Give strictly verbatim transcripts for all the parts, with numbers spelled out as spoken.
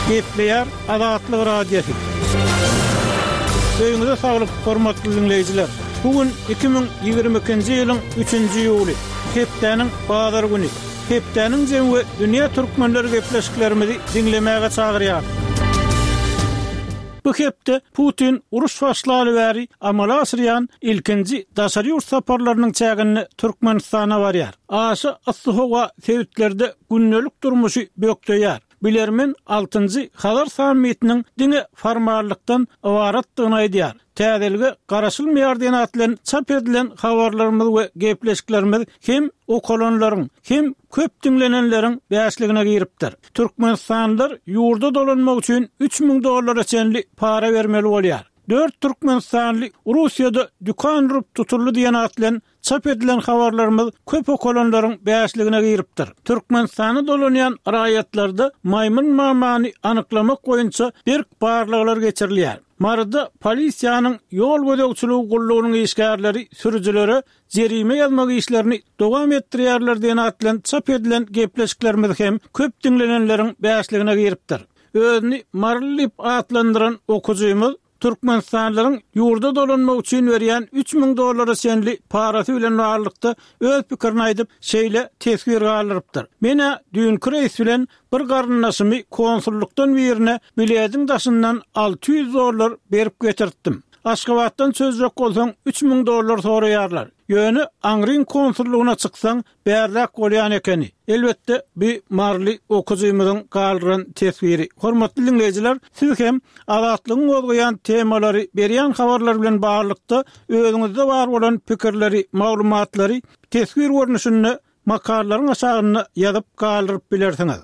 Gepleýär Azatlyk Radiosy. Öýüňize saglyk, hormatly diňleýjiler. Bu gün iki müň ýigrimi ikinji ýylyň üçünji iýuly, hepdäniň bazar güni. Hepdäniň jemi we dünýä türkmenleri gepleşiklerimizi diňlemäge çagyrýar. Bu hepde Putin uruş başlaly bäri amala aşyrýan ilkinji daşary ýurt saparlarynyň çäginde Türkmenistana barýar. Aşa yssy howa sebitlerde gündelik durmuşy bökdeýär. Bilermen altynjy Hazar sammitiniň diňe formallykdan ybaratdygyny aýdýar. Täzelige garaşylmaýar diýen at bilen çap edilen habarlarymyz we gepleşiklerimiz hem okalanlaryň, hem köp diňlenenleriň bäşligine giripdir. Türkmenistanlylar ýurda dolanmak üçin üç müň dollara çenli para bermeli bolýar. Dört türkmenistanly Russiýada dükan urup tutuldy diýen at bilen çap edilen habarlarymyz köp okalanlaryň bäşligine giripdir. Türkmenistana dolanýan raýatlarda maýmyn mamany anyklamak boýunça berk barlaglar geçirilýär. Maryda polisiýanyň ýol gözegçiligi gullugynyň işgärleri sürüjilere jerime ýazmak işlerini dowam etdirýärler diýen at bilen çap edilen gepleşiklerimiz hem köp diňlenenleriň bäşligine giripdir. Özüni Maryly diýip atlandyran okyjymyz Türkmenistanlylaryň ýurda dolanmak üçin berýän üç müň dollara çenli parasy bilen baglylykda öz pikirini aýdyp, şeýle teswir galdyrypdyr. Men-ä düýnki reýs bilen bir garyndaşymy konsullykdan birine bilediň daşyndan alty ýüz dollar berip getirtdim. Aşgabatdan çözjek bolsaň üç müň dollar soraýarlar. Ýöne aňryň konsullygyna çyksaň bärräk bolýan ekeni. Elbetde, bu maryly okyjymyzyň galdyran teswiri. Hormatly diňleýjiler, siz hem Azatlygyň gozgaýan temalary, berýän habarlary bilen baglylykda özüňizde bar bolan pikirleri, maglumatlary teswir görnüşinde makalalaryň aşagynda ýazyp galdyryp bilersiňiz.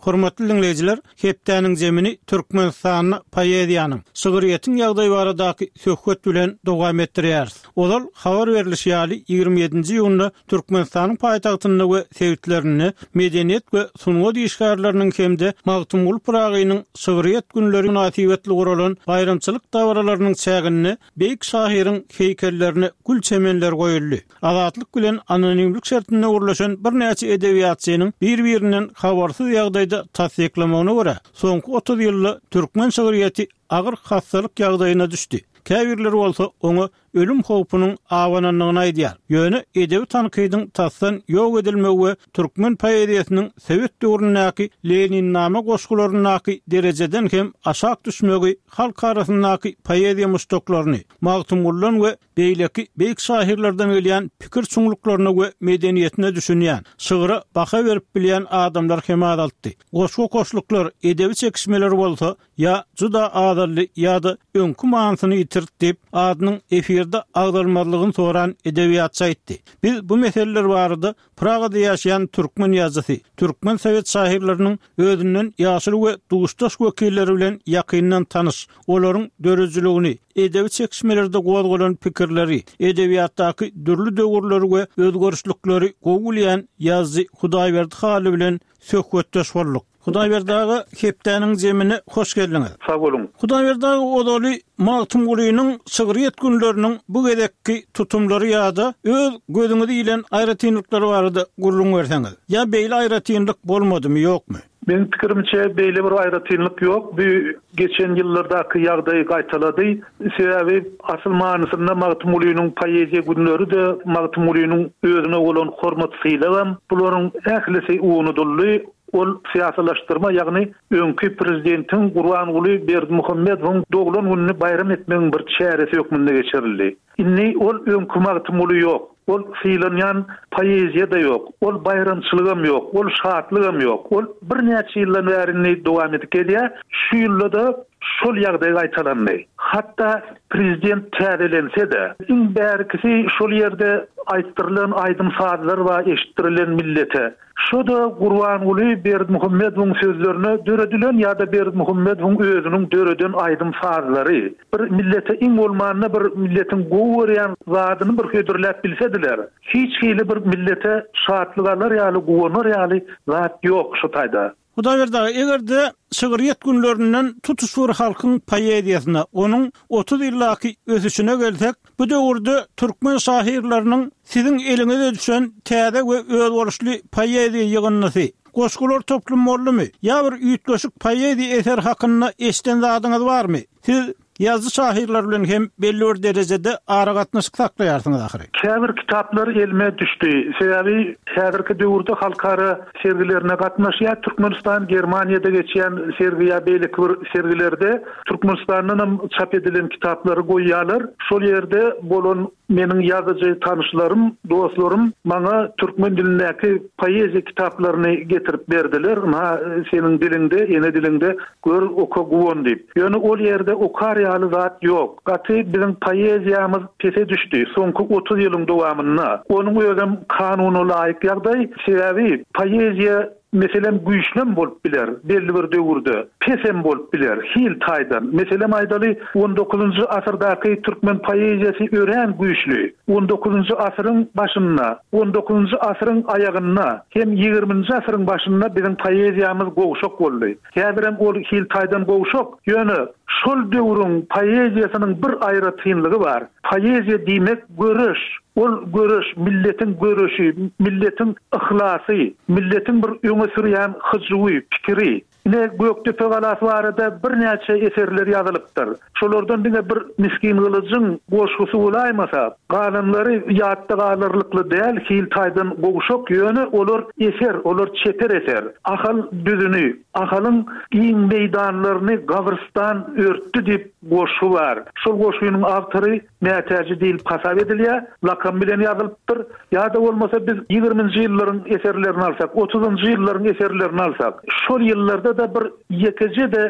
Hormatly diňleýjiler, hepdäniň zemini Türkmenistanda poeziýanyň, şygryýetiň ýagdaýy baradaky söhbet bilen dowam etdirýäris. Ozal habar berlişi ýaly, ýigrimi ýedinji iýunda Türkmenistanyň paýtagtynda we sebitlerinde medeniýet we sungat işgärleriniň hem-de Magtymguly Pyragynyň şygryýet günleri mynasybetli guralan baýramçylyk dabaralarynyň çäginde beýik şahyryň heýkellerine gül çemenleri goýuldy. Azatlyk bilen anonimlik şertinde gürleşen birnäçe edebiýatçynyň bir-birinden habarsyz ýagdaýda tassyklamagyna görä, soňky otuz ýylda türkmen şygryýeti agyr hassalyk ýagdaýyna düşdi. Käbirleri bolsa oňa ölüm howpunyň abanandygyny aýdýar. Ýöne edebi tankydyň tasdan ýok edilmegi we türkmen poeziýasynyň sowet döwründäki Leninnama goşgularyndaky derejeden hem aşak düşmegi halk arasyndaky poeziýa muşdaklaryny Magtymgulydan we beýleki beýik şahyrlardan gelýän pikir çuňluklaryna we medeniýetine düşünýän, şygra baha berip bilýän adamlar hem azaltdy. Goşgy-goşluklar, edebi çekişmeler bolsa ýa juda azaldy ýa-da öňki manysyny ýitirdi diýip, adynyň efirde agzalmazlygyny soran edebiýatçy aýtdy. Biz bu meseleler barada Pragada ýaşaýan türkmen ýazyjysy, türkmen sowet şahyrlarynyň özünden ýaşuly we duşdaş wekilleri bilen ýakyndan tanyş, olaryň döredijiligini, edebi çekişmelerde gozgalan pikirleri, edebiýatdaky dürli döwürleri we özgerişlikleri gowy bilýän ýazyjy Hudaýberdi Hally bilen söhbetdeş bolduk. Hudaýberdi aga, hepdäniň zemine hoş geldiňiz. Sag boluň. Hudaýberdi aga, ozaly Magtymgulynyň şygryýet günleriniň bu gezekki tutumlary ýa-da öz gözüňize ilen aýratynlyklary barada gürrüň berseňiz. Ýa beýle aýratynlyk bolmadymy, ýokmy? Meniň pikirimçe, beýle bir aýratynlyk ýok. Bu geçen ýyllardaky ýagdaýy gaýtalady. Sebäbi asyl manysynda Magtymgulynyň poeziýa günleri-de, Magtymgulynyň özüne bolan hormat-sylagam, bularyň ählisi unudyldy. Ol syýasylaşdyrma, ýagny öňki prezidentiň Gurbanguly Berdimuhamedowyň doglan gününi baýram etmegiň bir çäresi hökmünde geçirildi. Indi ol öňki Magtymguly ýok, ol sylanýan poeziýa-da ýok, ol baýramçylygam ýok, ol şatlygam ýok. Ol birnäçe ýyldan bäri indi dowam edip gelýär. Şu ýylda-da şol ýagdaý gaýtalandy. Hatda prezident täzelense-de, iň bärkisi şol ýerde aýtdyrylan aýdym-sazlar bar, eşitdirilen millete. Şo-da Gurbanguly Berdimuhamedowyň sözlerine döredilen ýa-da Berdimuhamedowyň özüniň döreden aýdym-sazlary. Bir millete iň bolmanda bir milletiň gowy görýän zadyny bir hödürläp bilsediler. Hiç hili bir millete şatlyk alar ýaly, guwanar ýaly zat ýok şu taýda. Hudaýberdi aga, eger-de şygryýet günlerinden tutuş bir halkyň poeziýasyna, onuň otuz ýyldaky ösüşine gelsek, bu döwürde türkmen şahyrlarynyň siziň eliňize düşen täze we özboluşly poeziýa ýygyndysy, Goşgular toplumy boldumy? Ýa bir üýtgeşik poeziýa eseri hakynda eşden zadyňyz barmy? Siz ýazyjy şahyrlar bilen hem belli bir derejede aragatnaşyk saklaýarsyňyz ahyry. Käbir kitaplar elime düşdi. Sebäbi häzirki döwürde halkara sergilerine gatnaşýar. Türkmenistan Germaniýada geçýän sergi ýa beýleki bir sergilerde Türkmenistandan hem çap edilen kitaplary goýýarlar. Şol ýerde bolan meniň ýazyjy tanyşlarym, dostlarym maňa türkmen dilindäki poeziýa kitaplaryny getirip berdiler. Ynha, seniň diliňde, ene diliňde gör, oka, guwan diýip. Ýöne ol ýerde okar ýaly zat ýok. Gaty biziň poeziýamyz pese düşdi soňky otuz ýylyň dowamynda. Onuň özem kanuna laýyk ýagdaý, sebäbi poeziýa meselem güýçlem bolup biler belli bir döwürde, pesem bolup biler hil taýdan. Meselem aýdaly, on dokuzynjy asyrdaky türkmen poeziýasy örän güýçli. On dokuzynjy asyryň başynda, on dokuzynjy asyryň aýagynda hem ýigriminji asyryň başynda biziň poeziýamyz gowşak boldy. Häzirem ol hil taýdan gowşak, ýöne şol döwrüň poeziýasynyň bir aýratynlygy bar. Poeziýa diýmek göreş. Ol göreş, milletiň göreşi, milletiň yhlasy, milletiň bir öňe sürýän hyjuwy, pikiri. Ine Gökdepe galasy barada birnäçe eserler ýazylypdyr. Şolardan diňe bir Miskin Gylyjyň goşgusy bolaýmasa, galanlary ýatda galarlykly däl, hil taýdan gowşak, ýöne olar eser, olar çeper eser. Ahal düzüni, Ahalyň giň meýdanlaryny gabrystan örtdi diýip goşgy bar. Şol goşgynyň awtory Mätäji diýilip hasap edilýär, lakam bilen ýazylypdyr. Ýa-da bolmasa biz ýigriminji ýyllaryň eserlerini alsak, otuzynjy ýyllaryň eserlerini alsak, şol ýyllarda-da bir ýekeje-de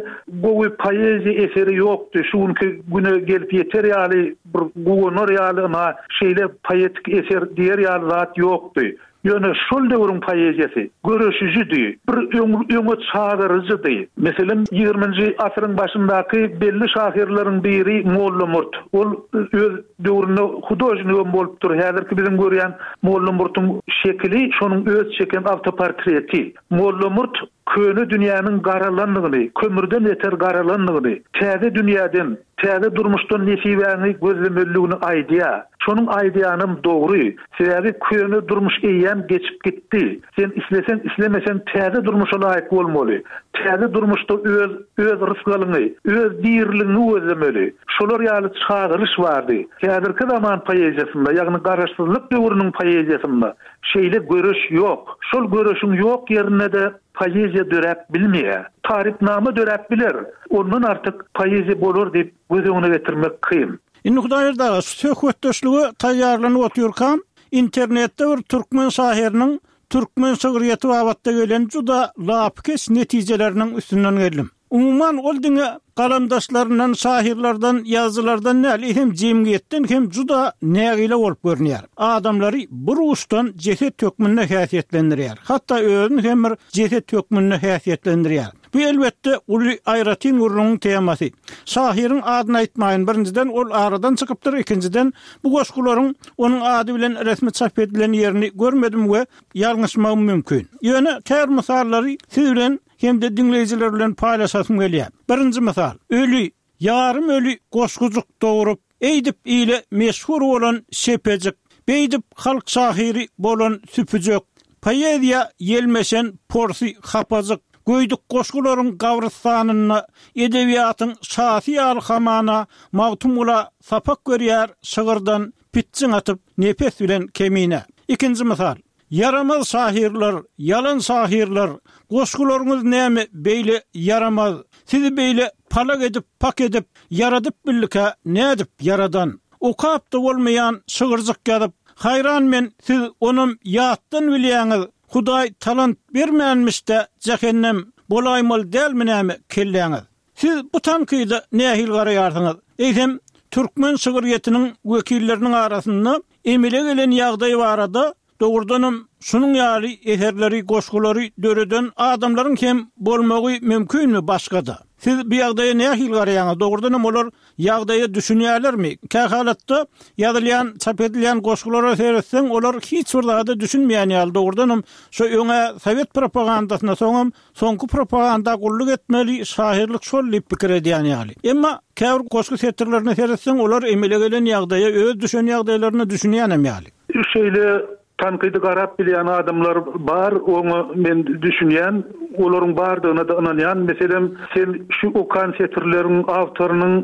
gowy poeziýa eseri ýokdy. Şu günki güne gelip ýeter ýaly, bir guwanar ýaly, ynha şeýle poetik eser diýer ýaly zat ýokdy. Ýöne şol döwrüň poeziýasy göreşijidi, bir öň, öňe çagyryjydy. Meselem, ýigriminji asyryň başyndaky belli şahyrlaryň biri Mollamurt. Ol öz döwründe hudožnigem bolupdyr. Häzirki biziň görýän Mollamurtyň şekili şonuň öz çeken awtoportreti. Mollamurt köne dünýäniň garalandygyny, kömürden beter garalandygyny, täze dünýäden, täze durmuşdan nesibäňi gözlemeliligini aýdýar. Şonuň aýdýanam dogry. Sebäbi köne durmuş eýýäm geçip gitdi. Sen isleseň, islemeseň täze durmuşa laýyk bolmaly. Täze durmuşda öz, öz rysgalyňy, öz diriligiňi gözlemeli. Şolar ýaly çagyryş bardy. Häzirki zaman poeziýasynda, ýagny garaşsyzlyk döwrüniň poeziýasynda şeýle göreş ýok. Şol göreşiň ýok ýerinde-de poeziýa döräp bilmeýär. Tarypnama döräp biler. Ondan artyk poeziýa bolar diýip göz öňüne getirmek kyn. Indi Hudaýberdi aga, şu söhbetdeşlige taýýarlanyp otyrkam, internetde bir türkmen şahyrynyň türkmen şygryýeti babatda gelen juda lapykeç netijeleriniň üstünden geldim. Umuman ol diňe galamdaşlaryndan, şahyrlardan, ýazyjylardan däl, eýsem jemgyýetden hem juda nägile bolup görünýär. Adamlary bir uçdan jeset hökmünde häsiýetlendirýär. Hatda özüni hem bir jeset hökmünde häsiýetlendirýär. Bu elbetde uly aýratyn gürrüňiň temasy. Şahyryň adyny aýtmaýyn, birinjiden ol aradan çykypdyr, ikinjiden bu goşgularyň onuň ady bilen resmi çap edilen ýerini görmedim we ýalňyşmagym mümkin. Ýöne käbir mysallary siz bilen hem-de diňleýjiler bilen paýlaşasym gelýär. Birinji mysal, öli, ýarym öli goşgujuk dogrup, eýdip ile meşhur bolan şepejik, beýdip halk şahyry bolan süpüjek, poeziýa ýelmeşen porsy hapajyk, göýdük goşgularyň gabrystanynda edebiýatyň şasy ýaly hamana Magtymgula sapak görýär şygyrdan pitjiň atyp nepes bilen kemine. Ikinji mysal, ýaramaz şahyrlar, ýalan şahyrlar, goşgularyňyz näme beýle ýaramaz, sizi beýle palak edip, pak edip, ýaradyp bildika nädip ýaradan? Okap da bolmaýan şygyrjyk ýazyp, haýran men siz onam ýatdan bilýäňiz, Hudaý talant bermänmiş-de jähennem bolaýmaly dälmi näme kelläňiz? Siz bu tankyda nähili garaýarsyňyz? Eýsem, türkmen şygryýetiniň wekilleriniň arasynda emele gelen ýagdaý barada dogrudanam şunuň ýaly eserleri, goşgulary döreden adamlaryň hem bolmagy mümkinmi başga-da? Siz bu ýagdaýa nähili garaýaňyz? Dogrudanam olar ýagdaýa düşünýärlermi? Kähalatda ýazylýan, çap edilýän goşgulara seretseň, olar hiç bir zada düşünmeýän ýaly. Dogrudanam şu öňe sowet propagandasyna, soňam soňky propaganda gulluk etmeli, şahyrlyk şol diýip pikir edýän ýaly. Emma käbir goşgy setirlerine seretseň, olar emele gelen ýagdaýa, öz düşen ýagdaýlaryna düşünýänem ýaly. Şeýle Tankydy garap bilýän adamlar bar, oňa men düşünýän, olaryň bardygyna-da ynanýan. Meselem, sen şu okan setirleriň awtorynyň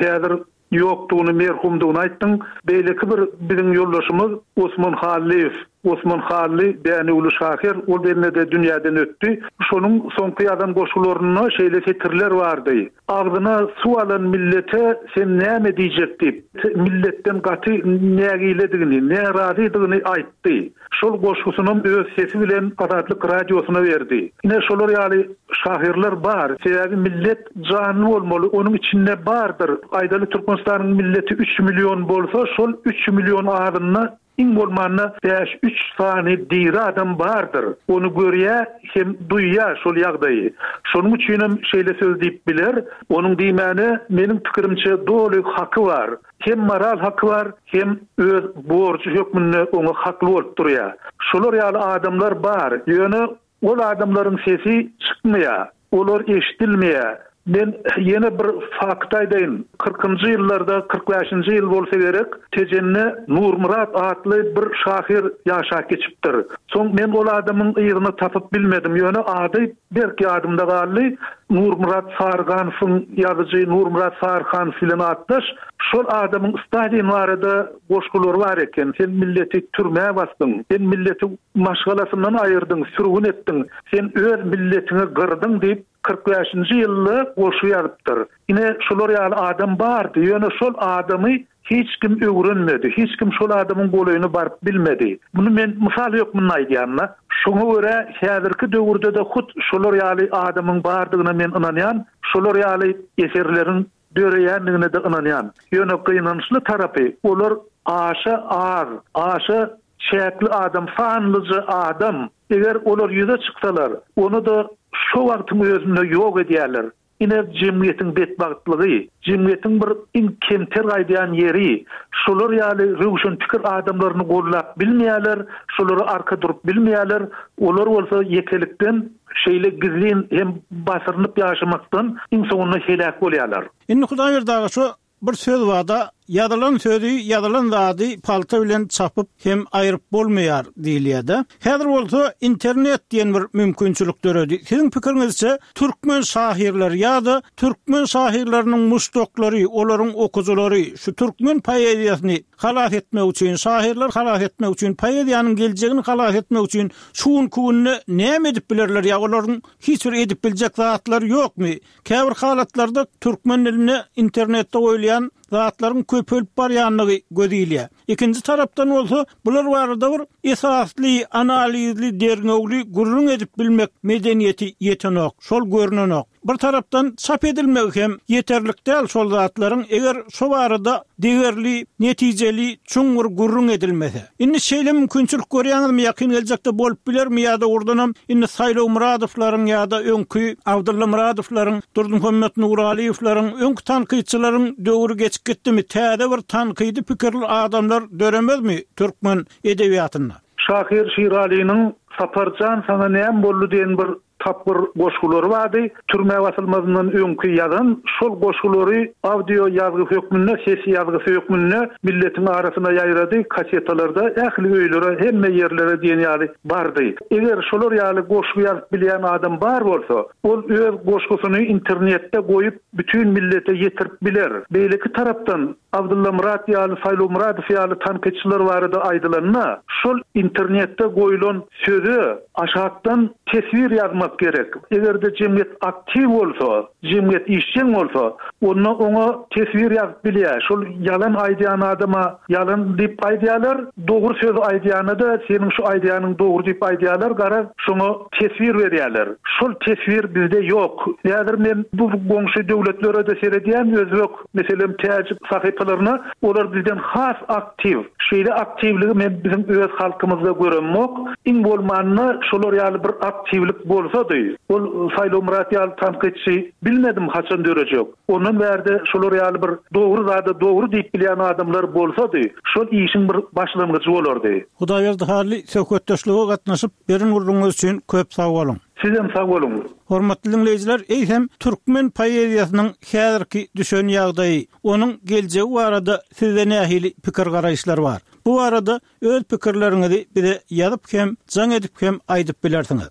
häzir ýokdugyny, merhumdygyny aýtdyň. Beýleki bir biziň ýoldaşymyz Osman Hallyýew. Osman Hally Dänewli şahyr, ol bende-de dünýäden ötdi. Şonuň soňky ýazan goşgularynda şeýle setirler bardy. Agzyna suw alan millete sen näme diýjek diýip, milletden gaty nägiledigini, närazydygyny aýtdy. Şol goşgusynam öz sesi bilen Azatlyk Radiosyna berdi. Ine şolar ýaly şahyrlar bar. Sebäbi millet janly bolmaly, onuň içinde bardyr. Aýdaly Türkmenistanyň milleti üç million bolsa, şol üç million azynda iň bolmanda bäş-üç sany diri adam bardyr. Ony görýär hem duýýar şol ýagdaýy. Şonuň üçinem şeýle söz diýip biler. Onuň diýmäne meniň pikirimçe doly haky bar. Hem moral haky bar, hem öz borjy hökmünde oňa hakly bolup durýar. Şolar ýaly adamlar bar. Ýöne ol adamlaryň sesi çykmaýar, olar eşidilmeýär. Men ýene bir fakt aýdaýyn. Kyrkynjy ýyllarda, kyrk bäşinji ýyl bolsa gerek, Tejende Nurmyrat atly bir şahyr ýaşap geçipdir. Soň men ol adamyň yzyny tapyp bilmedim, ýöne ady berk ýadymda galdy. Nurmyrat Sarganowyň ýazyjy Nurmyrat Sarhanow bilen atdaş. Şol adamyň Stalin barada goşgulary bar eken. Sen milleti türmä basdyň, sen milleti maşgalasyndan aýyrdyň, sürgün etdiň, sen öz milletiňi gyrdyň diýip kyrk bäşinji ýylda goşgy ýazypdyr. Ine şolar ýaly adam bardy, ýöne şol adamy hiç kim öwrenmedi, hiç kim şol adamyň golaýyna baryp bilmedi. Muny men mysal hökmünde aýdýan-da. Şoňa görä häzirki döwürde-de hut şolar ýaly adamyň bardygyna men ynanýan, şolar ýaly eserleriň döreýändigine-de ynanýan. Ýöne gynançly tarapy, olar aşa az, aşa çäkli adam, sanlyja adam. Eger olar ýüze çyksalar, ony-da şo wagtyň özünde ýok edýärler. Ine jemgyýetiň betbagtlygy, jemgyýetiň bir iň kemter gaýdýan ýeri, şolar ýaly röwşen pikir adamlaryny gollap bilmeýärler, şolara arka durup bilmeýärler, olar bolsa ýekelikden şeýle gizlin hem basyrynyp ýaşamakdan iň soňunda heläk bolýarlar. Indi Hudaýberdi aga şu bir söz barda, ýazylan sözi, ýazylan zady palta bilen çapyp hem aýryp bolmaýar diýilýär-de. Häzir bolsa internet diýen bir mümkinçilik döredi. Siziň pikiriňizçe türkmen şahyrlary ýa-da türkmen şahyrlarynyň muşdaklary, olaryň okujylary şu türkmen poeziýasyny halas etmek üçin, şahyrlar halas etmek üçin, poeziýanyň geljegini halas etmek üçin şu günki günde näme edip bilerler ýa olaryň hiç bir edip biljek zatlary ýokmy? Käbir halatlarda türkmen dilinde internetde goýulýan zatlaryň köpelip barýanlygy göz ilýär. Ikinji tarapdan bolsa bular barada bir esasly, analizli, derňewli gürrüň edip bilmek medeniýeti ýetenok, şol görünenok. Bir tarapdan çap edilmegi hem ýeterlik däl şol zatlaryň, eger şo barada degerli, netijeli, çuňňur gürrüň edilmese. Indi şeýle mümkinçilik görýäňizmi, ýakyn geljekde bolup bilermi ýa-da oradanam indi Saýlaw Muradowlaryň ýa-da öňki Abdylla Muradowlaryň, Durdymuhammet Nuralyýewleriň, öňki tankytçylaryň döwri geçip gitdimi, täze bir tankydy pikirli adamlar döremezmi türkmen edebiýatynda? Şahyr Şiralynyň Saparjan saňa näme boldy diýen bir tapgyr goşgulary bardy. Türmä basylmazyndan öňki ýazan şol goşgulary audio ýazgy hökmünde, ses ýazgysy hökmünde milletiň arasyna ýaýrady, kasetalarda ähli öýlere, hemme ýerlere diýen ýaly bardy. Eger şolar ýaly goşgy ýazyp bilýän adam bar bolsa, ol öz goşgusyny internetde goýup bütün millete ýetirip biler. Beýleki tarapdan Abdylla Murat ýaly, Saýlaw Muradow ýaly tankytçylar barada aýdylanda, şol internetde goýulan söze aşakdan teswir ýazmak gerek. Eger-de jemgyýet aktiw bolsa, jemgyýet işjeň bolsa, onda oňa teswir ýazyp bilýär. Şol ýalan aýdýan adama ýalan diýip aýdýarlar, dogry söz aýdýana-da seniň şu aýdýanyň dogry diýip aýdýarlar, gara şoňa teswir berýärler. Şol teswir bizde ýok. Häzir men bu goňşy döwletlere-de seredýän, özbek, meselem, täjik sahypalaryna, olar bizden has aktiw. Şeýle aktiwligi men biziň öz halkymyzda göremok. Iň bolmanda şolar ýaly bir aktiwlik bolsady, ol Saýlaw Murat ýaly tankytçy bilmedim haçan dörejek. Ondan bärde şolar ýaly bir dogry zada dogry diýip bilýän adamlar bolsady, şol işiň bir başlangyjy bolardy. Hudaýberdi Hally söhbetdeşlige gatnaşyp, beren gürrüňiňiz üçin köp sag boluň. Sizem sag boluň. Hormatly diňleýjiler, eýsem türkmen poeziýasynyň häzirki düşen ýagdaýy, onuň geljegi barada sizde nähili pikir garaýyşlar bar? Bu barada öz pikirleriňizi bize ýazyp hem, jaň edip hem aýdyp bilersiňiz.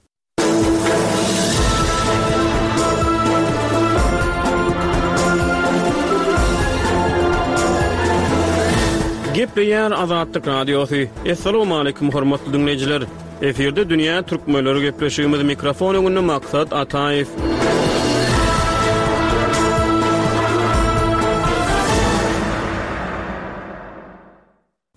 Gepleýär Azatlyk Radiosy. Assalamualaikum hormatly dinleýjiler. Efirde Dünýä Türkmenleri gepleşigimiz mikrofon öňünde Maksat Ataýew.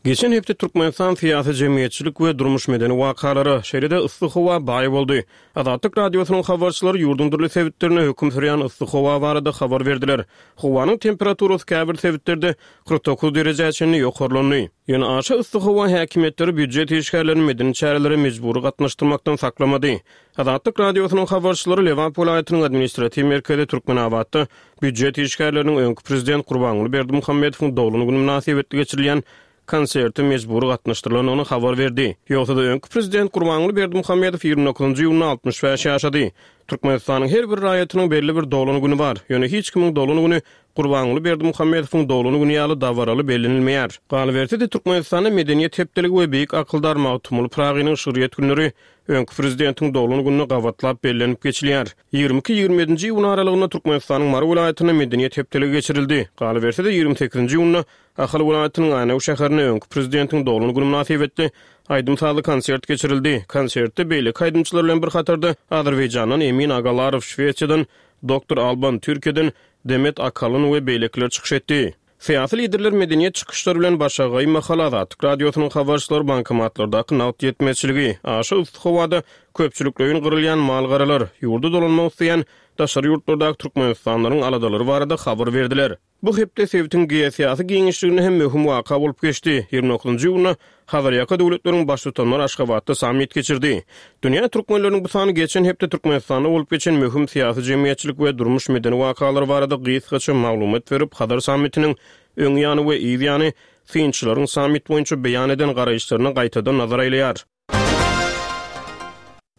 Geçen hepde Türkmenistan syýasy jemgyýetçilik we durmuş medeni wakalara, şeýle-de yssy howa baý boldy. Azatlyk Radiosynyň habarçylary ýurduň dürli sebitlerinde höküm sürýän yssy howa barada habar berdiler. Howanyň temperaturasy käbir sebitlerde kyrk dokuz derejä çenli ýokarlandy. Ýöne aşa yssy howa häkimiýetleri býujet işgärlerini medeni çärelere mejbury gatnaşdyrmakdan saklamady. Azatlyk Radiosynyň habarçylary Lebap welaýatynyň administratiw merkezi Türkmenabatda býujet işgärleriniň öňki prezident Gurbanguly Berdimuhamedowyň doglan güni mynasybetli geçirilýän konserte mejbury gatnaşdyrylandygyny habar berdi. Ýogsa-da öňki prezident Gurbanguly Berdimuhamedow ýigrimi dokuzynjy iýunda altmyş bäş ýaşady. Türkmenistanyň her bir raýatynyň belli bir doglan güni bar. Ýöne hiç kimiň doglan güni Gurbanguly Berdimuhamedowyň doglan güni ýaly dabaraly bellenilmeýär. Galyberse-de Türkmenistanda Medeniýet hepdeligi we beýik akyldar Magtymguly Pyragynyň şygryýet günleri öňki prezidentiň doglan gününe gabatlap bellenip geçilýär. Ýigrimi iki-ýigrimi ýedinji iýun aralygynda Türkmenistanyň Mary welaýatynda Medeniýet hepdeligi geçirildi. Galyberse-de ýigrimi sekizinji iýunda Ahal welaýatynyň Änew şäherinde öňki prezidentiň doglan güni mynasybetli aýdym-sazly konsert geçirildi. Konsertde beýleki aýdymçylar bilen bir hatarda Azerbaýjandan Emin Agalarow, Şwesiýadan Doktor Alban, Türkiýeden Demet Akalyn we beýlekiler çykyş etdi. Syýasy liderler medeniýet çykyşlary bilen başagaý mahaly Azatlyk Radiosynyň habarçylary bankomatlardaky nagt ýetmezçiligi, aşa yssy howada köpçülikleýin gyrylýan mal-garalar, ýurda dolanmak isleýän daşary ýurtlardaky türkmenistanlylaryň aladalary barada habar berdiler. Bu hepde sebitiň geosyýasy giňişliginde hem möhüm waka bolup geçdi. Ýigrimi dokuzynjy iýunda Hazarýaka döwletleriň baştutanlary Aşgabatda sammit geçirdi. Dünýä türkmenleriniň bu sany geçen hepde Türkmenistanda bolup geçen möhüm syýasy-jemgyýetçilik we durmuş-medeni wakalar barada gysgaça maglumat berip, Hazar sammitiniň öň ýany we yz ýany synçylaryň sammit boýunça beýan eden garaýyşlaryna gaýtadan nazar aýlaýar.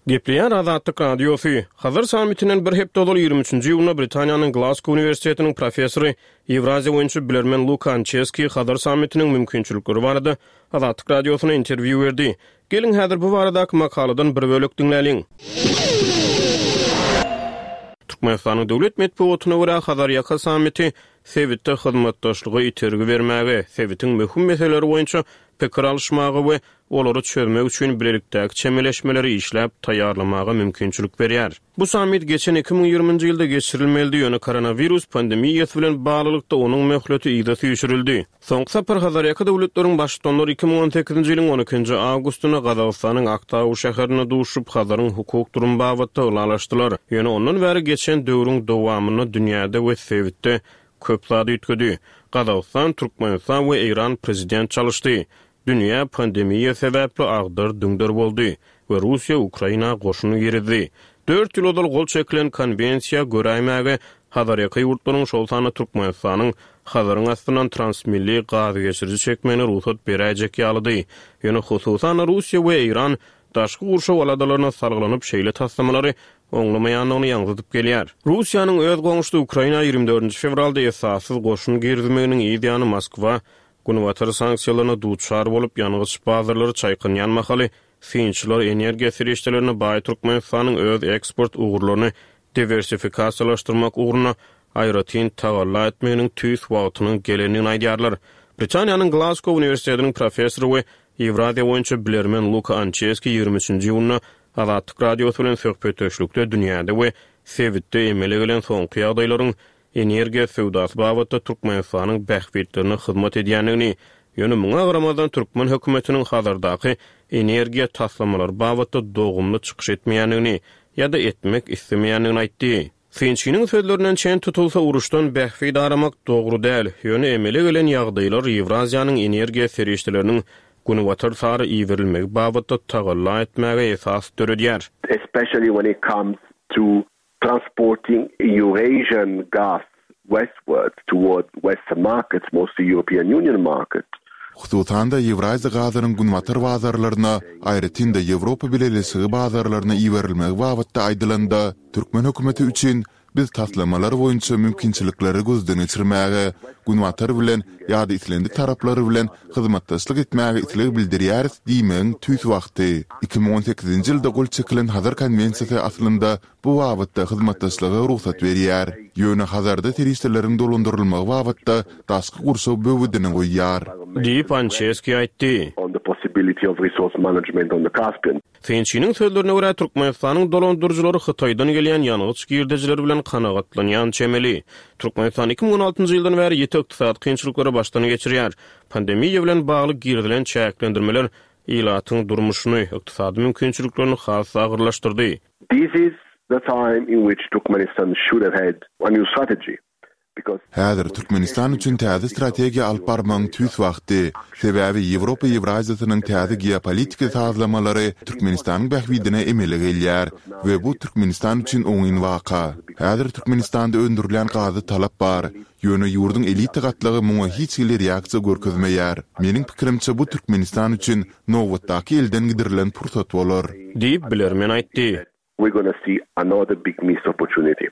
Gepleýär Azatlyk Radiosy. Hazar sammitinden bir hepde ozal ýigrimi üçünji iýunda Britaniýanyň Glasgow uniwersitetiniň professory, Ýewraziýa boýunça bilermen Luka Ançeski Hazar sammitiniň mümkinçilikleri barada Azatlyk Radiosyna interwýu berdi. Geliň häzir bu baradaky makaladan bir bölek diňläliň. Türkmenistanyň döwlet metbugatyna görä, Hazarýaka sammiti sebitde hyzmatdaşlyga itergi bermäge, sebitiň möhüm meseleleri boýunça pikir alyşmaga we olary çözmek üçin bilelikdäki çemeleşmeleri işläp taýýarlamaga mümkinçilik berýär. Bu sammit geçen iki müň ýigriminji ýylda geçirilmelidi, ýöne koronawirus pandemiýasy bilen baglylykda onuň möhleti yza süýşürildi. Soňky sapar Hazarýaka döwletleriň baştutanlary iki müň on sekizinji ýylyň on ikinji awgustynda Gazagystanyň Aktau şäherinde duşup, Hazaryň hukuk durumy babatda ylalaşdylar. Ýöne ondan bäri geçen döwrüň dowamynda dünýäde we sebitde köp zat üýtgedi. Gazagystan, Türkmenistan we Eýran prezident çalyşdy. Dünýä pandemiýa sebäpli agdar-düňder boldy we Russiýa Ukraina goşun girizdi. Dört ýyl ozal gol çekilen konwensiýa göräýmäge Hazarýaka ýurtlaryň, şol sanda Türkmenistanyň Hazaryň astyndan transmilli gaz geçiriji çekmegine rugsat beräýjek ýalydy. Ýöne hususan-da Russiýa we Eýran daşky gurşaw aladalaryna salgylanyp şeýle taslamalary oňlamaýandygyny ýaňzydyp gelýär. Russiýanyň öz goňşusy Ukraina ýigrimi dördünji fewralda esassyz goşun girizmeginiň yz ýany Moskwa Günbatar sanksiýalaryna duçar bolup, ýangyç bazarlary çaýkanýan mahaly synçylar energiýa serişdelerine baý Türkmenistanyň öz eksport ugurlaryny diwersifikasiýalaşdyrmak ugrunda aýratyn tagalla etmeginiň tüýs wagtynyň gelendigini aýdýarlar. Britaniýanyň Glasgow uniwersitetiniň professory we Ýewraziýa boýunça bilermen Luka Ançeski ýigrimi üçünji iýunda Azatlyk Radiosy bilen söhbetdeşlikde dünýäde we sebitde emele gelen soňky ýagdaýlaryň energiýa söwdasy babatda Türkmenistanyň bähbitlerine hyzmat edýändigini, ýöne muňa garamazdan türkmen hökümetiniň Hazardaky energiýa taslamalary babatda dogumly çykyş etmeýändigini ýa-da etmek islemeýändigini aýtdy. Synçynyň sözlerinden çen tutulsa, uruşdan bähbit aramak dogry däl, ýöne emele gelen ýagdaýlar Ýewraziýanyň energiýa serişdeleriniň günbatar sary iberilmegi babatda tagalla etmäge esas döredýär. Especially when it comes to transporting Eurasian gas westwards toward Western markets, mostly European Union markets. Hususan-da, Ýewraziýa gazynyň günbatar bazarlaryna, aýratyn-da Ýewropa Bileleşigi bazarlaryna iberilmegi babatda aýdylanda, türkmen hökümeti üçin Biz taslamalar boýunça mümkinçilikleri gözden geçirmäge, Günbatar bilen ýa-da islendik taraplar bilen hyzmatdaşlyk etmäge isleg bildirýäris diýmegiň tüýs wagty. Iki müň on sekizinji ýylda gol çekilen Hazar konwensiýasy aslynda bu babatda hyzmatdaşlyga rugsat berýär. Ýöne Hazarda serişdeleriň dolandyrylmagy babatda daşky gurşaw böwedini goýýar. Diýip, Ançeski aýtdy. Synçynyň sözlerine görä, Türkmenistanyň dolandyryjylary Hytaýdan gelýän ýangyç girdejileri bilen kanagatlanýan çemeli. Türkmenistan iki müň on altynjy ýyldan bäri ýiti ykdysady kynçylyklary başdan geçirýär. Pandemiýa bilen bagly girizilen çäklendirmeler ilatyň durmuşyny, ykdysady mümkinçiliklerini has-da agyrlaşdyrdy. This is the time in which Turkmenistan should have had a new strategy. Häzir Türkmenistan üçin täze strategiýa alyp barmagyň tüýs wagty. Sebäbi Ýewropa Ýewraziýasynyň täze geopolitiki sazlamalary Türkmenistanyň bähbidine emele gelýär we bu Türkmenistan üçin oňyn waka. Häzir Türkmenistanda öndürilýän gaza talap bar, ýöne ýurduň elita gatlagy muňa hiç hili reaksiýa görkezmeýär. Meniň pikirimçe bu Türkmenistan üçin nobatdaky elden gidirilen pursat bolar. Diýip, bilermen aýtdy. We're gonna see another big missed opportunity.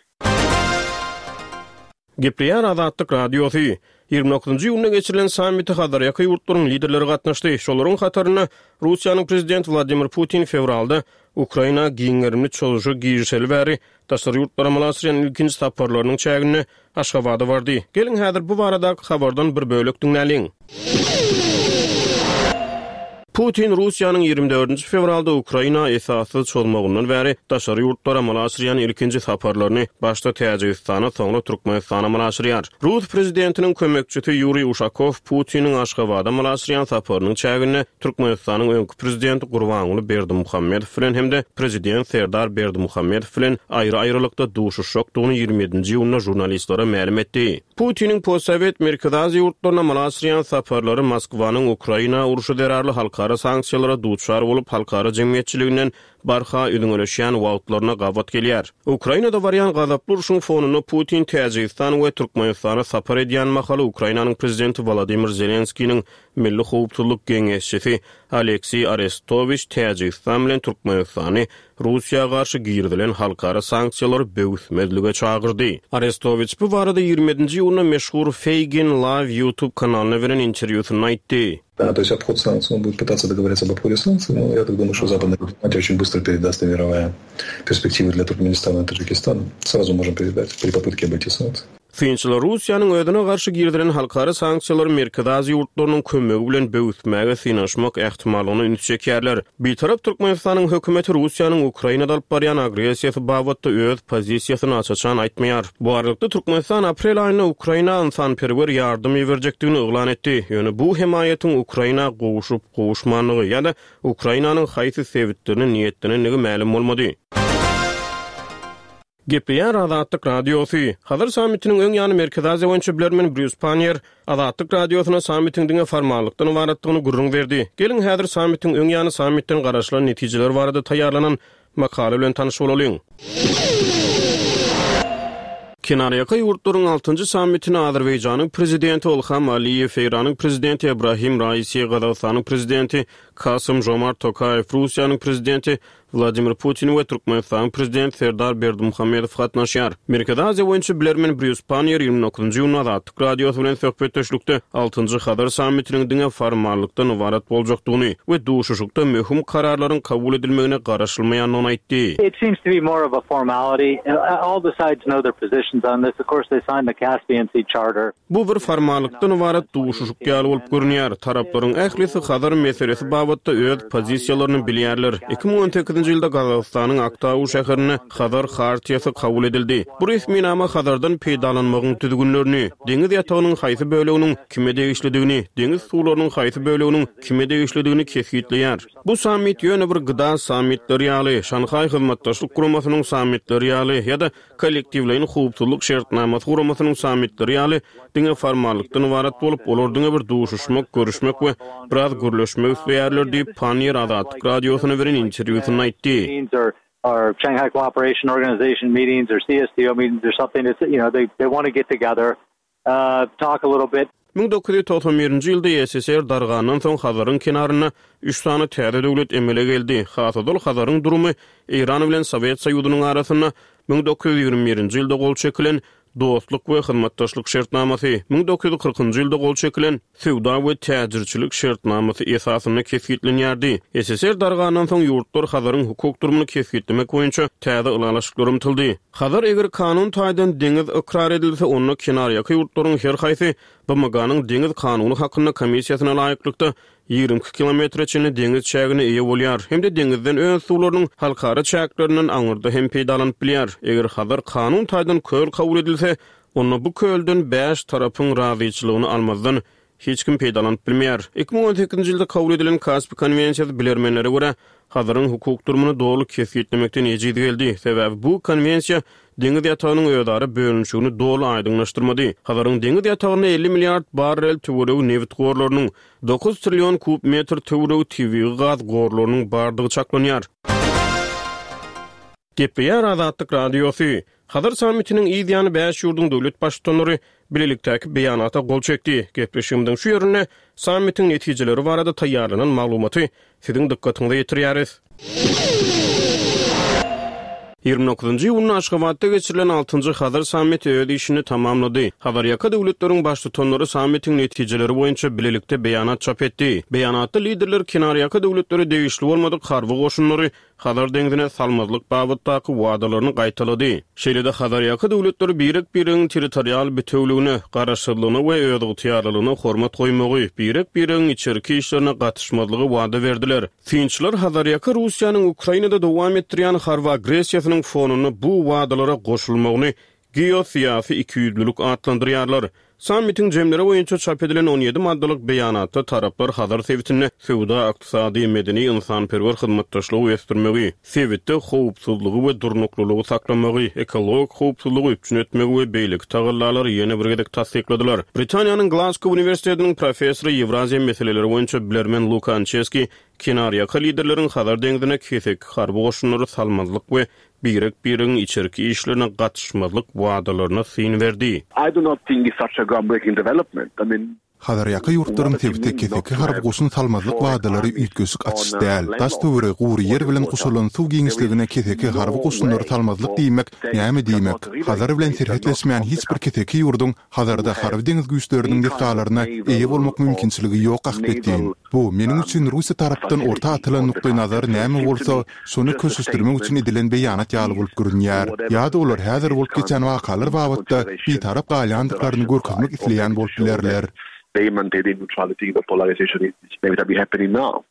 Gepleýär Azatlyk Radiosy. Ýigrimi dokuzynjy iýunda geçirilen sammite Hazarýaka ýurtlaryň liderleri gatnaşdy. Şolaryň hatarynda Russiýanyň Prezidenti Wladimir Putin fewralda Ukraina giň gerimli çozuşa girişeli bäri daşary ýurtlara amala aşyrýan ilkinji saparlarynyň çäginde Aşgabada bardy. Geliň häzir bu baradaky habardan bir bölek diňläliň. Putin Russiýanyň ýigrimi dördünji fewralda Ukraina esassyz çozmagyndan bäri daşary ýurtlara amala aşyrýan ilkinji saparlaryny başda Täjigistana, soňra Türkmenistana amala aşyrýar. Rus prezidentiniň kömekçisi Ýuriý Uşakow Putiniň Aşgabada amala aşyrýan saparynyň çäginde Türkmenistanyň öňki prezidenti Gurbanguly Berdimuhamedow bilen hem-de prezident Serdar Berdimuhamedow bilen aýry-aýrylykda duşuşjakdygyny ýigrimi ýedinji iýunda žurnalistlere mälim etdi. Putiniň postsowet Merkezi Aziýa ýurtlaryna amala aşyrýan saparlary Moskwanyň Ukraina urşy zerarly halkara sanksiýalara duçar bolup, halkara jemgyýetçiliginden barha üzňeleşýän wagtlaryna gabat gelýär. Ukrainada barýan gazaply urşuň fonunda Putin Täjigistan we Türkmenistana sapar edýän mahaly Ukrainanyň prezidenti Wolodymyr Zelenskiniň Milli howpsuzlyk geňeşçisi Alekseý Arestowiç Täjigistan bilen Türkmenistany Russiýa garşy girizilen halkara sanksiýalary böwüsmezlige çagyrdy. Arestowiç bu barada ýigrimi ýedinji iýunda meşhur Feygin Live YouTube kanalyna beren interwýusynda aýtdy. Да, то есть обход санкций, он будет пытаться договориться об обходе санкций, но я так думаю, что западная дипломатия очень быстро передаст мировая перспективы для Туркменистана и Таджикистана. Сразу можем передать при попытке обойти санкции. Synçylar Russiýanyň özüne garşy girizilen halkara sanksiýalary Merkezi Aziýa ýurtlarynyň kömegi bilen böwüsmäge synanyşmak ähtimallygyna üns çekýärler. Bitarap Türkmenistanyň hökümeti Russiýanyň Ukrainada alyp barýan agressiýasy babatda öz pozisiýasyny aç-açan aýtmaýar. Bu aralykda Türkmenistan aprel aýynda Ukraina ynsanperwer ýardam iberjekdigini yglan etdi. Ýöne bu hemaýatyň Ukraina gowuşyp gowuşmanlygy ýa-da Ukrainanyň haýsy sebitlerine niýetlenendigi mälim bolmady. Gepleýär Azatlyk Radiosy. Hazar sammitiniň öň ýany Merkezi Aziýa boýunça bilermen Brýus Pannier Azatlyk Radiosyna sammitiň diňe formallykdan ybaratdygyny gürrüň berdi. Geliň häzir sammitiň öň ýany sammitden garaşylan netijeler barada taýýarlanan makala bilen tanyş bolalyň. Kenarýaka ýurtlaryň altynjy sammitine Azerbaýjanyň prezidenti Ilham Aliýew, Eýranyň prezidenti Ibrahim Raisi, Gazagystanyň prezidenti Kasym Jomart Tokaýew, Russiýanyň prezidenti Wladimir Putin we Türkmenistanyň prezidenti Serdar Berdimuhamedow gatnaşýar. Merkezi Aziýa boýunça bilermen Brýus Pannier ýigrimi dokuzynjy iýunda Azatlyk Radiosy bilen söhbetdeşlikde altynjy Hazar sammitiniň diňe formallykdan ybarat boljakdygyny we duşuşykda möhüm kararlaryň kabul edilmegine garaşylmaýandygyny aýtdy. It seems to be more of a formality. All the sides know their positions on this. Of course, they signed the Caspian Sea Charter. Bu bir formallykdan ybarat duşuşyk ýaly bolup görünýär. Taraplaryň ählisi Hazar meselesi babatda öz pozisiýalaryny bilýärler. Iki müň on sekizinji ýylda Gazagystanyň Aktau şäherinde Hazar Hartiýasy kabul edildi. Bu resminama Hazardan peýdalanmagyň düzgünlerini, deňiz ýatagynyň haýsy böleginiň kime degişlidigini, deňiz suwlarynyň haýsy böleginiň kime degişlidigini kesgitleýär. Bu sammit ýöne bir gıda sammitleri ýaly, Şanhaý hyzmatdaşlyk guramasynyň sammitleri ýaly ýa-da kollektiwleýin howpsuzlyk şertnamasy guramasynyň sammitleri ýaly diňe formallykdan ybarat bolup, olar diňe bir duşuşmak, görüşmek we biraz gürleşmek isleýärler diýip, Pannier Azatlyk Radiosyna beren interwýusynda aýtdy. Or Shanghai Cooperation Organization meetings or C S T O meetings or something. It's, you know, they, they wanna get together, uh, talk a little bit. Müň dokuz ýüz togsan birinji ýylda S S R dargandan soň Hazaryň kenarynda üç sany täze döwlet emele geldi. Has ozal Hazaryň durumy Eýran bilen Sowet Soýuzynyň arasynda müň dokuz ýüz ýigrimi birinji ýylda gol çekilen Dostluk we hyzmatdaşlyk şertnamasy, müň dokuz ýüz kyrkynjy ýylda gol çekilen Söwda we täjirçilik şertnamasy esasynda kesgitlenýärdi. S S R dargandan soň ýurtlar Hazaryň hukuk durumyny kesgitlemek boýunça täze ylalaşyklar ymtyldy. Hazar eger kanun taýdan deňiz ykrar edilse, onda kenarýaka ýurtlaryň her haýsy B M G-nyň deňiz kanuny hakynda komissiýasyna laýyklykda ýigrimi iki kilometre çenli deňiz çägine eýe bolýar hem-de deňizden öz suwlarynyň halkara çäklerinden aňyrda hem peýdalanyp bilýär. Eger Hazar kanun taýdan köl kabul edilse, onda bu kölden bäş tarapyň razyçylygyny almazdan hiç kim peýdalanyp bilmeýär. Iki müň on sekizinji ýylda kabul edilen Kaspi konwensiýasy bilermenlere görä Hazaryň hukuk durumyny doly kesgitlemekden ejiz geldi. Sebäbi bu konwensiýa deňiz ýatagynyň özara bölünişigini doly aýdyňlaşdyrmady. Hazaryň deňiz ýatagynda elli milliard barrel töweregi nebit gorlarynyň, dokuz trillion kub metr töweregi tebigy gaz gorlarynyň bardygy çaklanýar. Gepleýär Azatlyk Radiosy. Hazar sammitiniň yz ýany bäş ýurduň döwlet baştutanlary bilelikdäki beýanata gol çekdi. Gepleşigimiziň şu ýerinde sammitiň netijeleri barada taýýarlanan maglumaty siziň dykgatyňyza ýetirýäris. Ýigrimi dokuzynjy iýunda Aşgabatda geçirilen altynjy Hazar sammiti öz işini tamamlady. Hazarýaka döwletleriň baştutanlary sammitiň netijeleri boýunça bilelikde beýanat çap etdi. Beýanatda liderler kenarýaka döwletlere degişli bolmadyk harby goşunlary Hazar deňzine salmazlyk babatdaky wadalaryny gaýtalady. Şeýle-de Hazarýaka döwletleri birek-biregiň territorial bütewligine, garaşsyzlygyna we özygtyýarlylygyna hormat goýmagy, birek-biregiň içerki işlerine gatyşmazlygy wada berdiler. Synçylar Hazarýaka Russiýanyň Ukrainada dowam etdirýän harby agressiýasynyň fonunda bu wadalara goşulmagyny geosyýasy ikiýüzlülik atlandyrýarlar. Sammitiň jemleri boýunça çap edilen on ýedi maddalyk beýanatda taraplar Hazar sebitinde söwda, ykdysady, medeni, ynsanperwer hyzmatdaşlygy ösdürmegi, sebitde howpsuzlygy we durnuklylygy saklamagy, ekologik howpsuzlygy üpjün etmegi we beýleki tagallalary ýene bir gezek tassykladylar. Britaniýanyň Glasgow Uniwersitetiniň professory Ýewraziýa meseleleri boýunça bilermen Luka Ançeski kenarýaka liderleriň Hazar deňzine keseki harby goşunlary salmazlyk we birek-biregiň içerki işlerine gatyşmazlyk wadalaryna syn berdi. I do not think it's such a groundbreaking development. I mean, Hazarýaka ýurtlaryň sebite keseki harby goşun salmazlyk wadalary üýtgeşik açyş däl. Daş töweregi gury ýer bilen guşalan suw giňişligine keseki harby goşunlary salmazlyk diýmek näme diýmek? Hazar bilen serhetleşmeýän hiç bir keseki ýurduň Hazarda harby deňiz güýçleriniň desgalaryna eýe bolmak mümkinçiligi ýok ahbetin. Bu meniň üçin Russiýa tarapdan orta atylan nukdaý nazar näme bolsa, şony köşeşdirmek üçin edilen beýanat ýaly bolup görünýär. Ýa-da olar häzir bolup geçen wakalar babatda bitarap galýandyklaryny görkezmek isleýän bolup bilerler. They maintain neutrality, the polarization is inevitably happening now.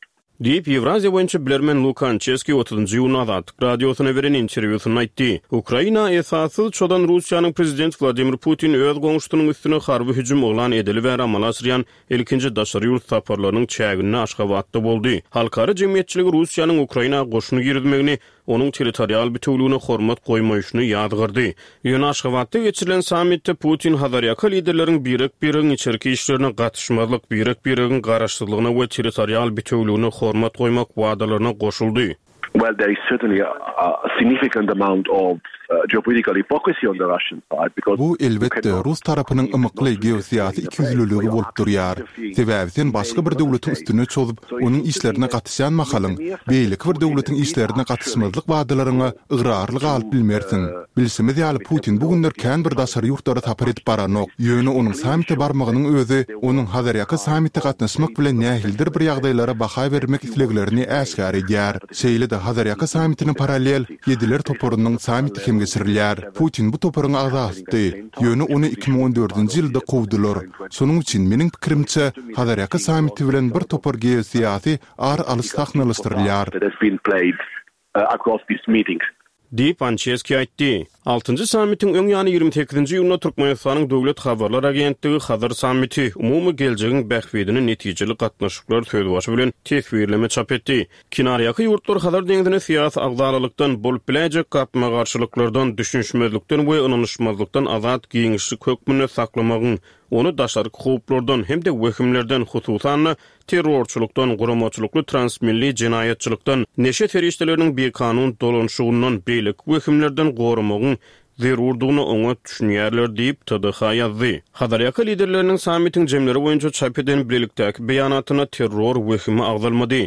Diýip, Ýewraziýa boýunça bilermen Luka Ançeski otuzynjy iýunda Azatlyk Radiosyna beren interwýusynda aýtdy. Ukraina esassyz çodan Russiýanyň prezident Wladimir Putin öz goňşusynyň üstüne harby hüjüm yglan edeli bäri amala aşyrýan ilkinji daşary ýurt saparlarynyň çäginde Aşgabatda boldy. Halkara jemgyýetçiligi Russiýanyň Ukraina goşuny girizmegini, onuň territorial bütewligine hormat goýmaýşyny ýazgyrdy. Ýöne Aşgabatda geçirilen sammitde Putin Hazarýaka liderleriň birek-biregiň içerki işlerine gatyşmazlyk, birek-biregiň garaşsyzlygyna we territorial bütewligine hormat goýmak wadalaryna goşuldy. Well, there is certainly a, a significant amount of, uh, geopolitical hypocrisy on the Russian side because Bu elbetde Rus tarapynyň ymykly geosyýasy ikiýüzlüligi bolup durýar. Sebäbi sen başga bir döwletiň üstüne çozup, onuň işlerine gatyşýan mahalyň, beýleki bir döwletiň işlerine gatyşmazlyk wadalaryňa ygrarly galyp bilmersiň. Bilşimiz ýaly Putin bu günler kän bir daşary ýurtlara sapar edip baranok. Ýöne onuň sammite barmagynyň özi onuň Hazarýaka sammite gatnaşmak bilen nähilidir bir ýagdaýlara baha bermek isleglerini äşgär edýär. Şeýle-de Hazarýaka sammitine parallel Ýediler toparynyň sammiti hem geçirilýär. Putin bu toparyň agzasydy. Ýöne ony iki müň on dördünji ýylda kowdular. Şonuň üçin meniň pikirimçe Hazarýaka sammiti bilen bir topar geosyýasy ar alyş sahnalaşdyrylýar. Across these meetings. Diýip Ançeski aýtdy. Altynjy sammitiň öň ýany ýigrimi sekizinji iýunda Türkmenistanyň Döwlet habarlar agentligi Hazar sammiti umumy geljegiň bähbidine netijeli gatnaşyklar sözbaşy bilen teswirleme çap etdi. Kenarýaka ýurtlar Hazar deňzine syýasy agzalalykdan, bolup biläýjek gapma-garşylyklardan, düşünişmezlikden we ynanyşmazlykdan azat giňişlik hökmünde saklamagyň, ony daşarky howplardan hem-de wehimlerden, hususan-da terrorçylykdan, guramaçylykly transmilli jenaýatçylykdan, neşe serişdeleriniň bikanun dolanyşygyndan, beýleki wehimlerden goramagyň zerurdygyna oňat düşünýärler diýip T D H ýazdy. Hazarýaka liderleriniň sammitiň jemleri boýunça çap eden bilelikdäki beýanatynda terror wehimi agzalmady.